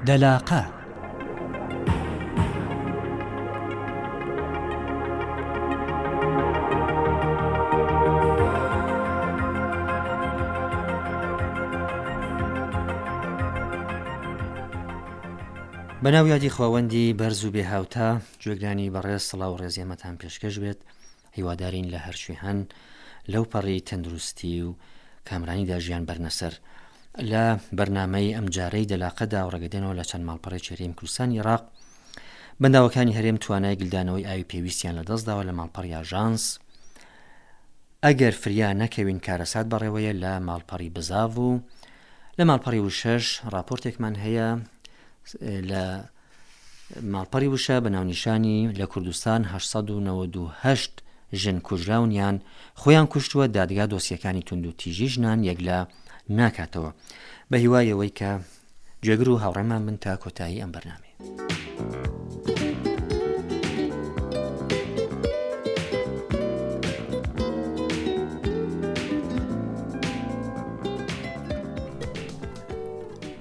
دەلاقە. بەناو یادی خواوەندی بەرز و بێ هاوتا گوێگرانی بەڕێز سڵاو و ڕێزی ئێمەتان پێشکەش بێت هیوادارین لە هەرکوێ هەن لەو پەڕی تەندروستی و کامرانیدا ژیان بەرنە سەر. لە بەرنامەی ئەمجارەی دەلاقەدا و ڕێگەدێنەوە لە چەند ماڵپەڕێکی هەرێمی کوردستانی عێراق بەنداوەکانی هەرێم توانای گلدانەوەی ئاوی پێویستیان لەدەستداوە لە ماڵپەڕی ئاژانس ئەگەر فریا نەکەوین کارەسات بەڕێوەیە لە ماڵپەڕی بزاڤ و لە ماڵپەڕی وشەش ڕاپۆرتێکمان هەیە لە ماڵپەڕی وشە بە ناونیشانی لە کوردستان 898 ژن کوژراون یان خۆیان کوشتووە، دادگا دۆسیەکانی توندوتیژی ژنان یەکلا ناکاتەوە. بە هیوای ئەوەی کە گوێگر و هاوڕێمان بن تا کۆتایی ئەم بەرنامەیە.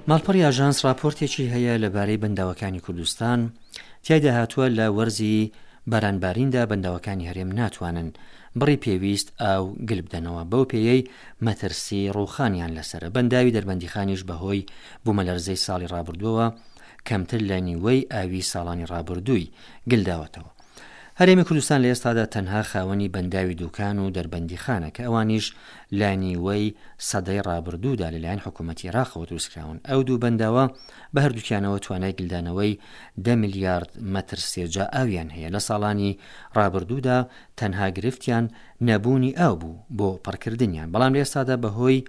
ماڵپەڕی ئاژانس ڕاپۆرتێکی هەیە لەبارەی بەنداوەکانی کوردستان، تیایدا هاتووە لە وەرزی بارانباریندا بەنداوەکانی هەرێم ناتوانن بڕی پێویست ئاو گل بدەنەوە، بەو پێیەی مەترسی ڕووخانیان لەسەرە، بەنداوی دەربەندیخانیش بەهۆی بوومەلەرزەی ساڵی ڕابردووەوە کەمتر لە نیوەی ئاوی ساڵانی ڕابردووی گلداوەتەوە. هەرێمی کوردستان لە ئێستادا تەنها خاوەنی بەنداوی دوکان و دەربەندیخانە کە ئەوانیش لە نیوەی سەدەی ڕابردوودا لەلایەن حکوومەتی عێراقەوە دروستکراون. ئەو دوو بەنداوە بە هەردووکیانەوە توانای گلدانەوەی دە ملیارد مەتر سێجا ئاویان هەیە. لە ساڵانی ڕابردوودا تەنها گرفتیان نەبوونی ئاو بوو بۆ پڕکردنیان، بەڵام لە ئێستادا بەهۆی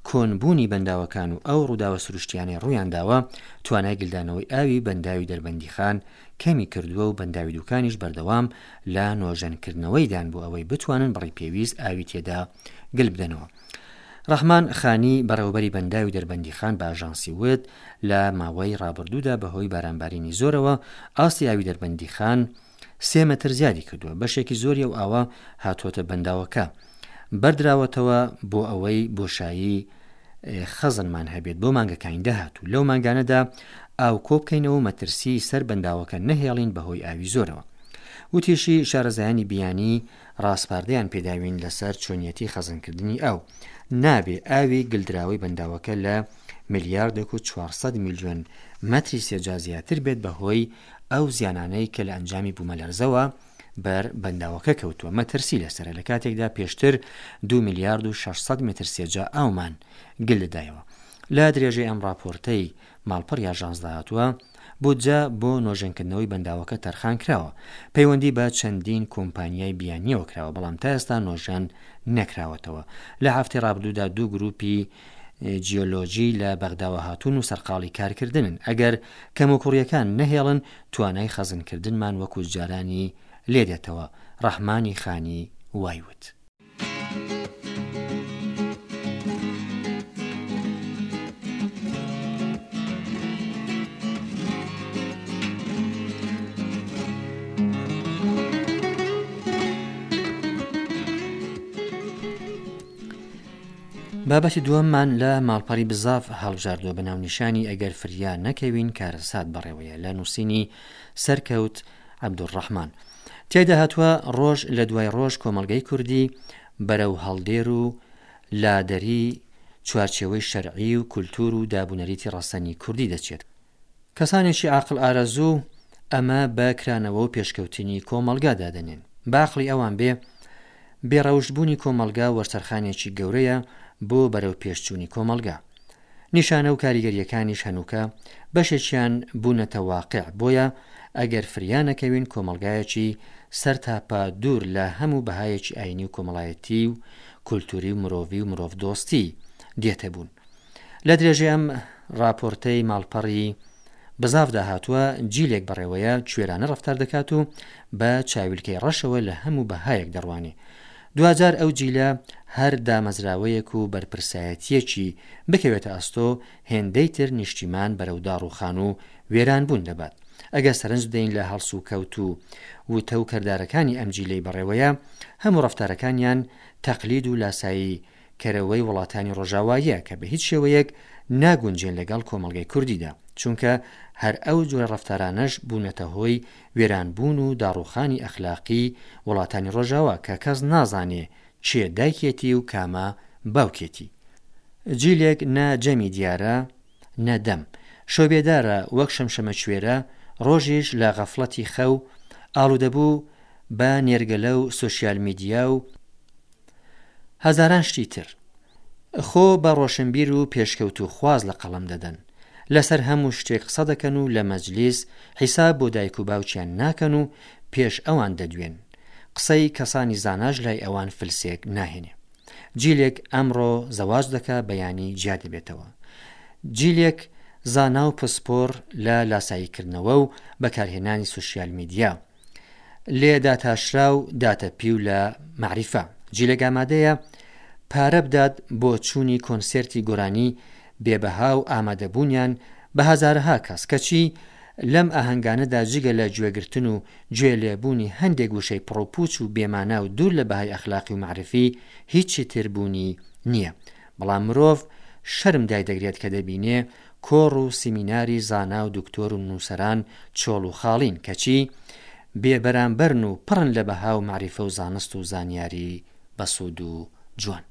کۆنبوونی بەنداوەکان و ئەو ڕووداوە سروشتیانەی ڕوویانداوە، توانای گلدانەوەی ئاوی بەنداوی دەربەندیخان کەمی کردووە و بەنداوی دوکانیش بەردەوام لە نۆژەنکردنەوەیدان بۆ ئەوەی بتوانن بڕی پێویست ئاوی تێدا گل بدەنەوە. ڕەحمان خانی، بەڕێوەبەری بەنداوی دەربەندیخان بە ئاژانسی وت، لە ماوەی ڕابردوودا بەهۆی بارانبارینی زۆرەوە ئاستی ئاوی دەربەندیخان سێ مەتر زیادی کردووە، بەشێکی زۆری ئەو ئاوە هاتووەتە بەنداوەکە بەردراوەتەوە بۆ ئەوەی بۆشایی خەزنمان هەبێت بۆ مانگەکانی داهاتوو، لەو مانگانەدا ئاو کۆبکەینەوە و مەترسیی سەر بەنداوەکە نەهێڵین بەهۆی ئاوی زۆرەوە. وتیشی، شارەزایانی بیانی ڕاسپاردەیان پێداوین لەسەر چۆنیەتی خەزنکردنی ئاو، نابێ ئاوی گلدراوەی بەنداوەکە لە ملیاردێک و 400 ملیۆن مەتری سێجا زیاتر بێت بەهۆی ئەو زیانانەی کە لە ئەنجامی بوومەلەرزەوە بەر بەنداوەکە کەوتووە مەترسی لەسەرە لە کاتێکدا پێشتر 2 ملیارد و 600 متر سێجا ئاومان گل دەدایەوە. لە درێژەی ئەم ڕاپۆرتەی ماڵپەڕی ئاژانسدا هاتووە، بودجە بۆ نۆژەنکردنەوەی بەنداوەکە تەرخان کراوە، پەیوەندی بە چەندین کۆمپانیای بیانییەوە کراوە، بەڵام تا ئێستا نۆژەن نەکراوەتەوە. لە هەفتەی ڕابردوودا دوو گرووپی جیۆلۆجی لە بەغداوە هاتوون و سەرقاڵی کارکردنن، ئەگەر کەموکوڕییەکان نەهێڵن توانای خەزنکردنمان وەکو جارانی لێدێتەوە، ڕەحمانی خانی وای وت. بابەتی دووەممان لە ماڵپەڕی بزاڤ هەڵبژاردووە بە ناونیشانی ئەگەر فریا نەکەوین کارەسات بەڕێوەیە لە نووسینی سەرکەوت عەبدولڕەحمان. تیایدا هاتووە ڕۆژ لە دوای ڕۆژ کۆمەڵگەی کوردی بەرەو هەڵدێر و لادەری چوارچێوەی شەرعی و کولتوور و دابونەریتی ڕەسەنی کوردی دەچێت. کەسانێکی عاقڵ ئارەزوو ئەمە بە کرانەوە و پێشکەوتنی کۆمەڵگا دادەنێن. بە عەقڵی ئەوان بێ، بێ ڕەوشت بوونی کۆمەڵگا وەرچەرخانێکی گەورەیە بۆ بەرەو پێشچوونی کۆمەڵگا. نیشانە و کاریگەرییەکانیش هەنووکە بەشێکیان بوونەتە واقع، بۆیە ئەگەر فریا نەکەوین کۆمەڵگایەکی سەرتاپا دوور لە هەموو بەهایەکی ئایینی و کۆمەڵایەتی و کولتووری و مرۆڤی و مرۆڤدۆستی دێتە بوون. لە درێژەی ئەم ڕاپۆرتەی ماڵپەڕی بزاڤدا هاتووە، جیلێک بەڕێوەیە کوێرانە ڕەفتار دەکات و بە چاویلکەی ڕەشەوە لە هەموو بەهایەک دەڕوانێ. دواجار ئەو جیلە هەر دامەزراوەیەک و بەرپرسایەتییەکی بکەوێتە ئەستۆ، هێندەی تر نیشتیمان بەرەو داڕووخان و وێرانبوون دەبات. ئەگەر سەرنج بدەین لە هەڵسوکەوت و وتە و کردارەکانی ئەم جیلەی بەڕێوەیە، هەموو ڕەفتارەکانیان تەقلید و لاسایی کەرەوەی وڵاتانی ڕۆژاواییە کە بە هیچ شێوەیەک ناگونجێن لەگەڵ کۆمەڵگەی کوردیدا. چونکە هەر ئەو جۆرە ڕەفتارانەش بوونەتە هۆی وێرانبوون و داڕووخانی ئەخلاقی وڵاتانی ڕۆژاوا کە کەس نازانێ کێ دایکێتی و کامە باوکێتی. جیلێک نە جەمی دیارە نە دەم. شەوبێدارە وەک شەمشەمەکوێرە، ڕۆژیش لە غەفڵەتی خەو، ئاڵوودەبوو بە نێرگەلە و سۆشیال میدیا و هەزاران شتی تر. خۆ بە ڕۆشنبیر و پێشکەوتووخواز لە قەڵەم دەدەن. لەسەر هەموو شتێک قسە دەکەن و لە مەجلیس حیساب بۆ دایک و باوکیان ناکەن و پێش ئەوان دەدوێن. قسەی کەسانی زاناش لای ئەوان فلسێک ناهێنێ. جیلێک ئەمڕۆ زەواج دەکا بەیانی جیا دەبێتەوە. جیلێک زانا و پسپۆڕ لە لاساییکردنەوە و بەکارهێنانی سوشیال میدیا. لێ داتاشراو داتەپیو لە مەعریفە. جیلێک ئامادەیە پارە بدات بۆ چوونی کۆنسێرتی گۆرانی بێ بەها و ئامادەبوونیان بە هەزارەها کەس، کەچی لەم ئاهەنگانەدا جگە لە گوێگرتن و گوێ لێبوونی هەندێک وشەی پڕوپووچ و بێمانا و دوور لە بەهای ئەخلاقی و مەعریفی هیچی تر بوونی نییە. بەڵام مرۆڤ شەرم دایدەگرێت کە دەبینێ کۆڕ و سیمیناری زانا و دکتۆر و نووسەران چۆڵ و خاڵین، کەچی بێ بەرامبەرن و پڕن لە بەها و مەعریفە و زانست و زانیاری بەسوود و جوان.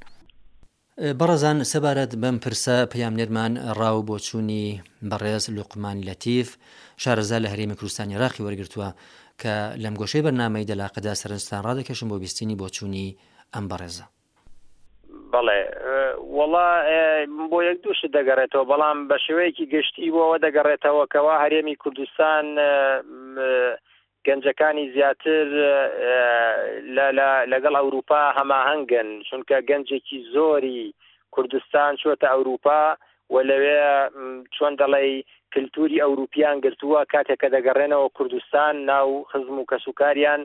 بەڕێزان سەبارەت بەم پرسە پەیامنێرمان ڕا و بۆچوونی بەڕێز لوقمان لەتیف شارەزا لە هەرێمی کوردستانی عێراقی وەرگرتووە کە لەم گۆشەی بەرنامەی دەلاقەدا سەرنجتان ڕادەکێشم بۆ بیستنی بۆچوونی ئەم بەڕێزە. بەڵێ وەڵا بۆ یەک دوو شت دەگەڕێتەوە بەڵام بە شێوەیەکی گشتی بۆ ئەوە دەگەڕێتەوە کەوا هەرێمی کوردستان گەنجەکانی زیاتر لەگەڵ ئەوروپا هەماهەنگن چونکە گەنجێکی زۆری کوردستان چۆتە ئەوروپا و لەوێ چۆن دەڵێی کلتوری ئەوروپیان گرتووە کاتێک کە دەگەڕێنەوە کوردستان ناو خزم و کەسوکاریان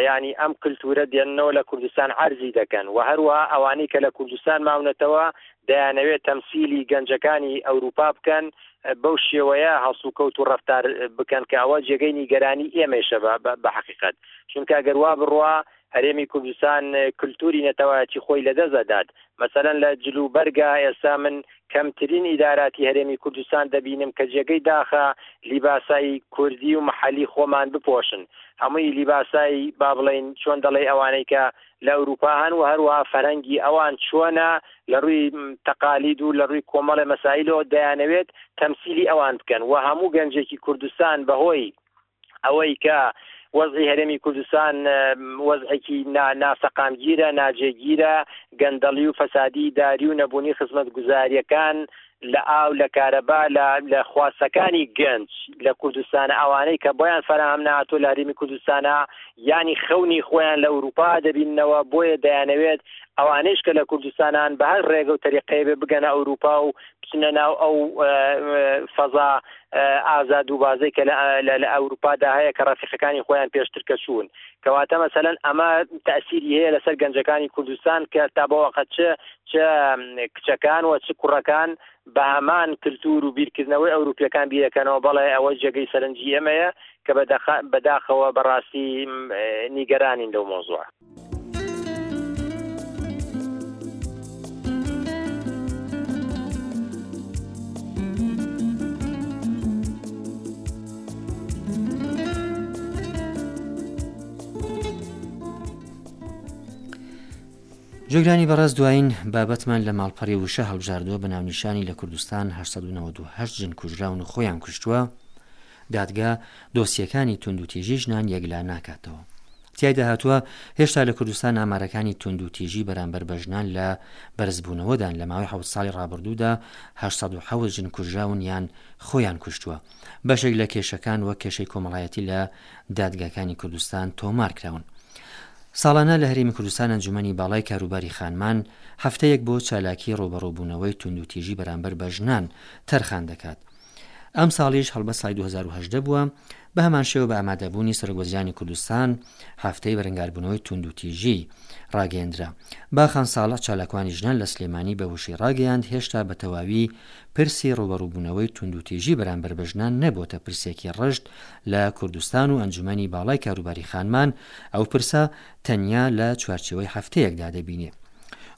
یانی ئەم کلتورە دێننەوە لە کوردستان عەرزی دەکەن و هەروەها ئەوانەی کە لە کوردستان ماونەتەوە دەیانەوێت تەمسیلی گەنجەکانی ئەوروپا بکەن بەو شێوەیە هەڵسوکەوت و ڕەفتار بکەن کە ئەوە جێگەی نیگەرانی ئێمەیشە بە حەقیقەت چونکە گەر وا بڕوا هەرێمی کوردستان کلتوری نەتەوایەتی خۆی لەدەست ئەدات مەسەلەن لە جل و بەرگا ئێستا من کەمترین ئیداراتی هەرێمی کوردستان دەبینم کە جێگەی داخە لیباسای کوردی و محەلی خۆمان بپۆشن هەمووی لیباسای با بڵێین چۆن دەڵێی ئەوانەی کە لە ئەوروپا هەن و هەروەها فەرهەنگی ئەوان چۆنە لە ڕووی تەقالید و لە ڕووی کۆمەڵێ مەسایلەوە دەیانەوێت تەمسیلی ئەوان بکەن و هەموو گەنجێکی کوردستان بەهۆی ئەوەی کە وەزعی هەرێمی کوردستان وەزعێکی ناسەقامگیرە، ناجێگیرە، گەندەڵی و فەسادی ئیداری و نەبوونی خزمەتگوزارییەکان لە ئاو، لە کارەبا، لە خواستەکانی گەنج لە کوردستانە ئەوانەی کە بۆیان فەراهەم نەهاتووە لە هەرێمی کوردستانە یانی خەونی خۆیان لە ئەوروپا دەبیننەوە بۆیە دەیانەوێت ئەوانەیش کە لە کوردستانان بە هەر ڕێگە و تەریقەیە بێ بگەنە ئەوروپا و بچنە ناو ئەو فەزا ئازاد و بازەی کە لە ئەوروپادا هەیە کە ڕەفیقەکانی خۆیان پێشتر کە چوون کەواتە مەسەلەن ئەمە تەسیری هەیە لەسەر گەنجەکانی کوردستان کە تا بەوەقە چ چ کچەکان و چ کوڕەکان بە هەمان کللتور و بیرکردنەوەی ئەوروپیەکان بیرەکەنەوە بەڵێ ئەوە جێگەی سەرنجی ئێمەیە کە بەداخەوە بەڕاستی نیگەرانین لەو مۆزوع. جۆگرانی بەڕێز دوایین بابەتمان لە ماڵپەڕی وشە هەڵبژاردووە بە ناونیشانی لە کوردستان 1998 ژن کوژراون و خۆیان کوشتووە دادگا دۆسیەکانی توندوتیژی ژنان یەکلا ناکاتەوە. تیایدا هاتووە، هێشتا لە کوردستان ئامارەکانی توندوتیژی بەرامبەر بە ژنان لە بەرزبوونەوەدان، لە ماوەی حەوت ساڵی ڕابردوودا 807 ژن کوژراون یان خۆیان کوشتووە. بەشێک لە کێشەکان وەک کێشەی کۆمەڵایەتی لە دادگاکانی کوردستان تۆمارکراون. ساڵانە لە هەرێمی کوردستان ئەنجومەنی باڵای کاروباری خانمان هەفتەیەک بۆ چالاکی ڕووبەڕووبوونەوەی توندوتیژی بەرامبەر بە ژنان تەرخان دەکات. ئەمساڵیش هەڵبەت ساڵی 2018 بووە، بەهەمانشێوە بە ئامادەبوونی سەرۆکوەزیرانی کوردستان هەفتەی بەرەنگاربوونەوەی تووندوتیژی ڕاگەیەندرا. باخان ساڵح چالاکوانی ژنان لە سلێمانی بە وشەی ڕاگەیاند هێشتا بە تەواوی پرسی ڕووبەڕووبوونەوەی تووندوتیژی بەرامبەر بە ژنان نەبۆتە پرسێکی ڕژد لە کوردستان و ئەنجومەنی باڵای کاروباری خانمان ئەو پرسە تەنیا لە چوارچێوەی هەفتەیەکدا دەبینێ.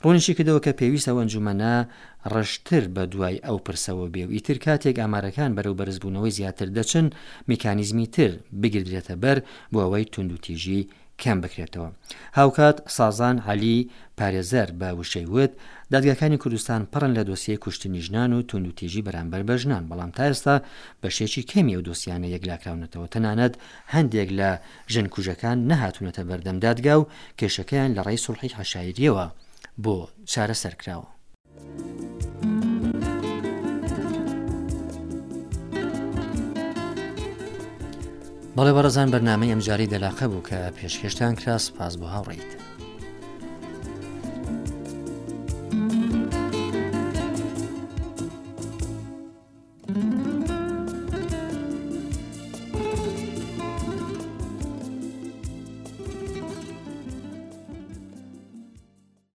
ڕوونیشی کردەوە کە پێویستە ئەو ئەنجومەنە ڕژدتر بە دوای ئەو پرسەوە بێ و ئیتر کاتێک ئامارەکان بەرەو بەرزبوونەوەی زیاتر دەچن میکانیزمی تر بگیردرێتە بەر بۆ ئەوەی توندوتیژی کەم بکرێتەوە. هاوکات سازان عەلی پارێزەر بە وشەی وت، دادگاکانی کوردستان پڕن لە دۆسیەی کوشتنی ژنان و توندوتیژی بەرامبەر بە ژنان، بەڵام تا ئێستا بەشێکی کەمی ئەو دۆسیانە یەکلاکراونەتەوە، تەنانەت هەندێک لە ژن کوژەکان نەهاتوونەتە بەردەم دادگا و کێشەکەیان لە ڕێی سوڵحی عەشایرییەوە بۆ چارەسەر کراوە. بەڵێ بەڕێزان بەرنامەی ئەمجارەی دەلاقە بوو کە پێشکێشتان کرا سپاس بۆ هاوڕێیتان.